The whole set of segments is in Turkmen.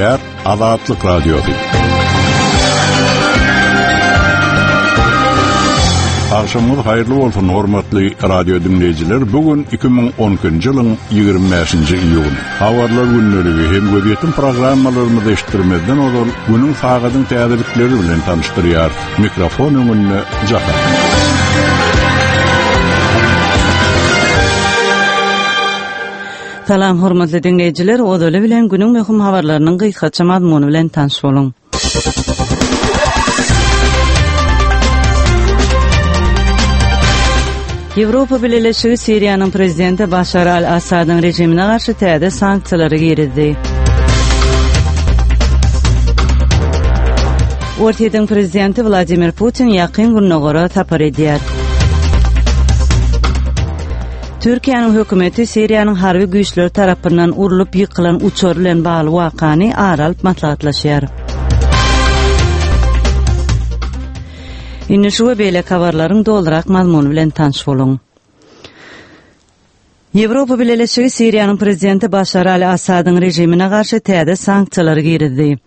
Gepleýär Azatlyk Radiosy. Agşamyňyz haýyrly bolsun, hormatly radio diňleýjiler. Bu gün 2012-nji ýylyň 25-nji iýuny. Habarlar gündeligi hem gözýetim programmalarymyzy eşitdirmezden ozal günüň sagadyň täzelikleri bilen tanyşdyrýar. Mikrofon öňünde Jahan. Salam hormatly diňleýjiler, ozaly bilen günüň möhüm habarlarynyň gysgaça mazmuny bilen tanyş boluň. Ýewropa Bileleşigi Siriýanyň prezidenti Başar al-Assadyň režimine garşy täze sanksiýalary girizdi. Orsýetiň prezidenti Wladimir Putin Ýakyn Gündogara sapar edýär. Türkiýäniň hökümeti Siriýanyň harby güýçleri tarapyndan urlup ýykylan uçar bilen bagly wakany ara alyp maslahatlaşýar. Indi şu we beýleki habarlaryň dolurak mazmuny bilen tanyş boluň. Ýewropa Bileleşigi Siriýanyň prezidenti Başar al-Assadyň režimine garşy täze sanksiýalary girizdi.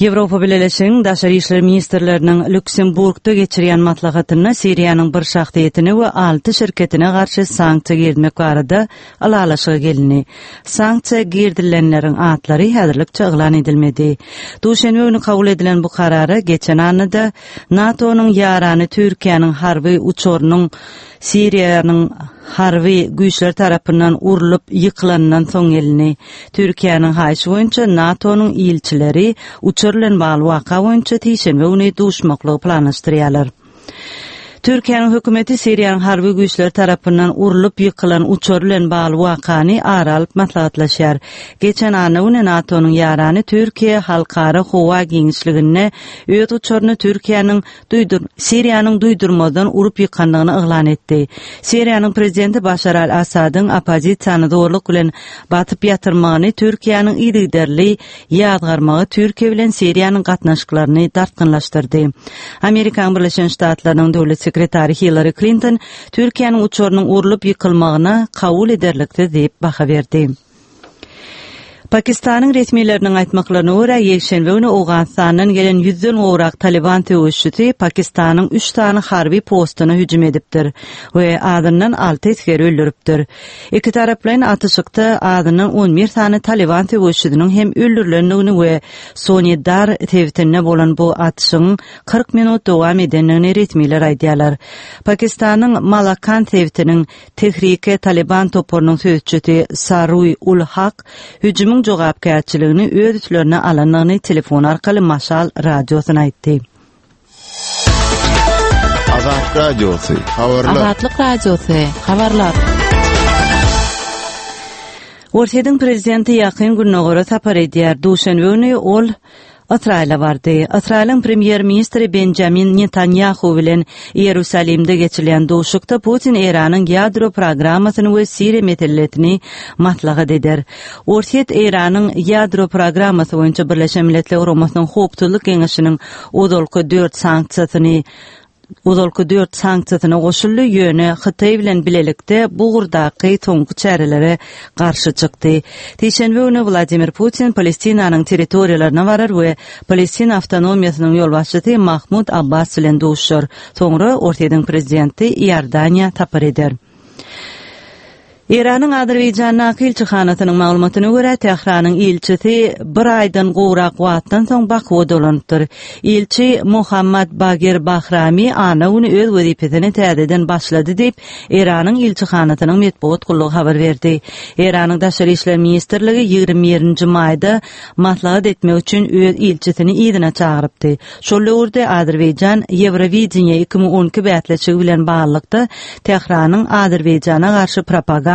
Ýewropa Bileleşiginiň daşary işler ministrleriniň Lýuksemburgda geçirýän maslahatynda Siriýanyň bir şahsyýetine we alty şirketine garşy sanksiýa girizmek barada ylalaşyga gelindi. Sanksiýa girizilenleriň atlary häzirlikçe yglan edilmedi. Duşenbe güni kabul edilen bu karara geçen annada NATO-nyň ýarany Türkiýäniň harby uçarynyň Siriýanyň harby güýçleri tarapyndan urlup ýykylanyndan soň gelindi. Türkiýäniň haýyşy boýunça NATO-nyň ilçileri uçar bilen bagly waka boýunça sişenbe güni duşmaklygy planlaşdyrýarlar. Türkiýäniň hökümeti Siriýanyň harby güýçleri tarapyndan urlup ýykylan uçar bilen bagly wakany ara alyp maslahatlaşýar. Geçen anna güni NATO-nyň ýarany Türkiýe halkara howa giňişliginde öz uçaryny Türkiýäniň duýdur Siriýanyň duýdurmazdan urup ýykandygyny yglan etdi. Siriýanyň prezidenti Başar al-Assadyň oppozisiýany zorluk bilen basyp ýatyrmagyny Türkiýäniň yzygiderli ýazgarmagy Türkiýe bilen Siriýanyň gatnaşyklaryny dartgynlaşdyrdy. Amerikanyň Birleşen Ştatlarynyň döwlet sekretary Hillari Klinton Türkiýäniň uçarynyň urlup ýykylmagyna kabul ederliksiz diýip baha berdi. Pakistanyň resmileriniň aýtmaklaryna görä, ýekşenbe güni Owganystandan gelen ýüzden gowrak Talyban söweşçisi Pakistanyň üç sany harby postuna hüjüm edipdir we azyndan alty esgeri öldüripdir. Ikitaraplaýyn atyşykda azyndan on bir sany Talyban söweşçisiniň hem öldürilendigini we Sonidar sebitinde bolan bu atyşygyň 40 minut dowam edendigini resmiler aýdýarlar. Pakistanyň Malakand sebitiniň Tehrike Talyban toparynyň sözçüsi Saruý ul Hak hüjümiň jogapkärçiligini öz üstlerine alandygyny telefon arkaly Maşal radiosyna aýtdy. Azatlyk Radiosy, habarlar. Azatlyk Radiosy, habarlar. Orsýetiň prezidenti Ýakyn Gündogara sapar edýär. Duşenbe güni ol Ysraýyla bardy. Ysraýylyň premýer-ministri Benjamin Netanýahu bilen Iýerusalimde geçirilen duşuşykda Putin Eýranyň ýadro programmasyny we Siriýa meselesini maslahat eder. Orsýet Eýranyň ýadro programmasy boýunça Birleşen Milletler Guramasynyň Howpsuzlyk Geňeşiniň ozalky dört sanksiýasyny ozalky dört sanksiýasyna goşuldy, ýöne Hytaý bilen bilelikde bu ugurdaky soňky çärelere garşy çykdy. Sişenbe güni Wladimir Putin Palestinanyň territoriýalaryna barar we Palestina awtonomiýasynyň ýolbaşçysy Mahmud Abbas bilen duşuşar. Soňra Orsýetiň prezidenti Iordaniýa sapar eder. Eýranyň Azerbaýjandaky ilçihanasynyň maglumatyna görä, Tähranyň ilçisi bir aýdan gowrak wagtdan soň Bakuwa dolanypdyr. Ilçi Mohammad Bagir Bahrami anna güni öz wezipesine täzeden başlady diýip, Eýranyň ilçihanasynyň metbugat gullugy habar berdi. Eýranyň Daşary işler ministrligi 21-nji maýda maslahat etmek üçin öz ilçisini yzyna çagyrypdy. Şol döwürde Azerbaýjan Ýewrowideniýe 2012 bäsleşigi bilen baglylykda Tähranyň Azerbaýjana garşy propaganda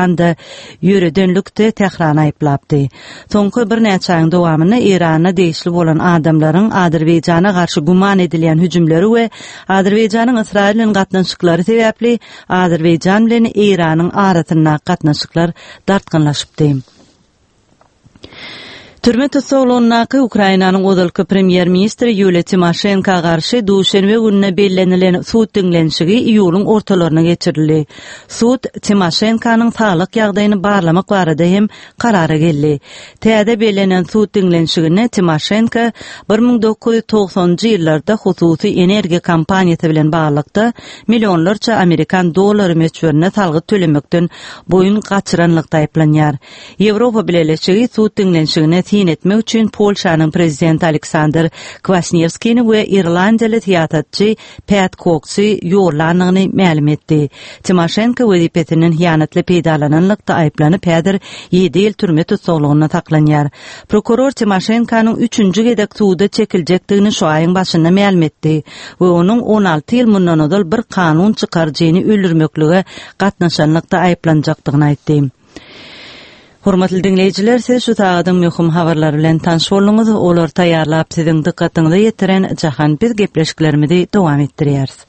ýöredenlikde Tährany aýyplapdy. Soňky birnäçe aýyň dowamynda Eýrana degişli bolan adamlaryň Azerbaýjana garşy güman edilýän hüjümleri we Azerbaýjanyň Ysraýyl bilen gatnaşyklary sebäpli Azerbaýjan bilen Eýranyň arasyndaky gatnaşyklar dartgynlaşypdy. Türme tussaglygyndaky Ukrainanyň ozalky premýer-ministri Ýuliýa Timoşenko garşy duşenbe gününe bellenilen sud diňlenişigi iýulyň ortalaryna geçirildi. Sud Timoşenkonyň saglyk ýagdaýyny barlamak barada hem karara geldi. Täze bellenen sud diňlenişiginde Timoşenko 1990-njy ýyllarda hususy energiýa kompaniýasy bilen baglylykda millionlarça amerikan dollary möçberinde salgyt tölemekden boýun gaçyranlykda aýyplanýar. Ýewropa Bileleşigi sud diňlenişigine syn etmek üçin Polşanyň prezidenti Aleksandr Kwasniewskini we irlandiýaly syýasatçy Pät Koksy ýollandygyny mälim etdi. Timoşenko wezipesinden hyýanatly peýdalananlykda aýyplanyp, häzir ýedi ýyl türme tussaglygynda saklanýar. Prokuror Timoşenkonyň üçünji gezek suda çekiljekdigini şu aýyň başynda mälim etdi we onuň 16 ýyl mundan ozal bir kanun çykaryjyny öldürmeklige gatnaşanlykda aýyplanjakdygyny aýtdy. Hormatly diňleýjiler, siz şu sagadyň möhüm habarlary bilen tanyş bolduňyz. Olary taýýarlap siziň dykgatyňyza ýetiren Jahan biz gepleşiklerimizi dowam etdirýäris.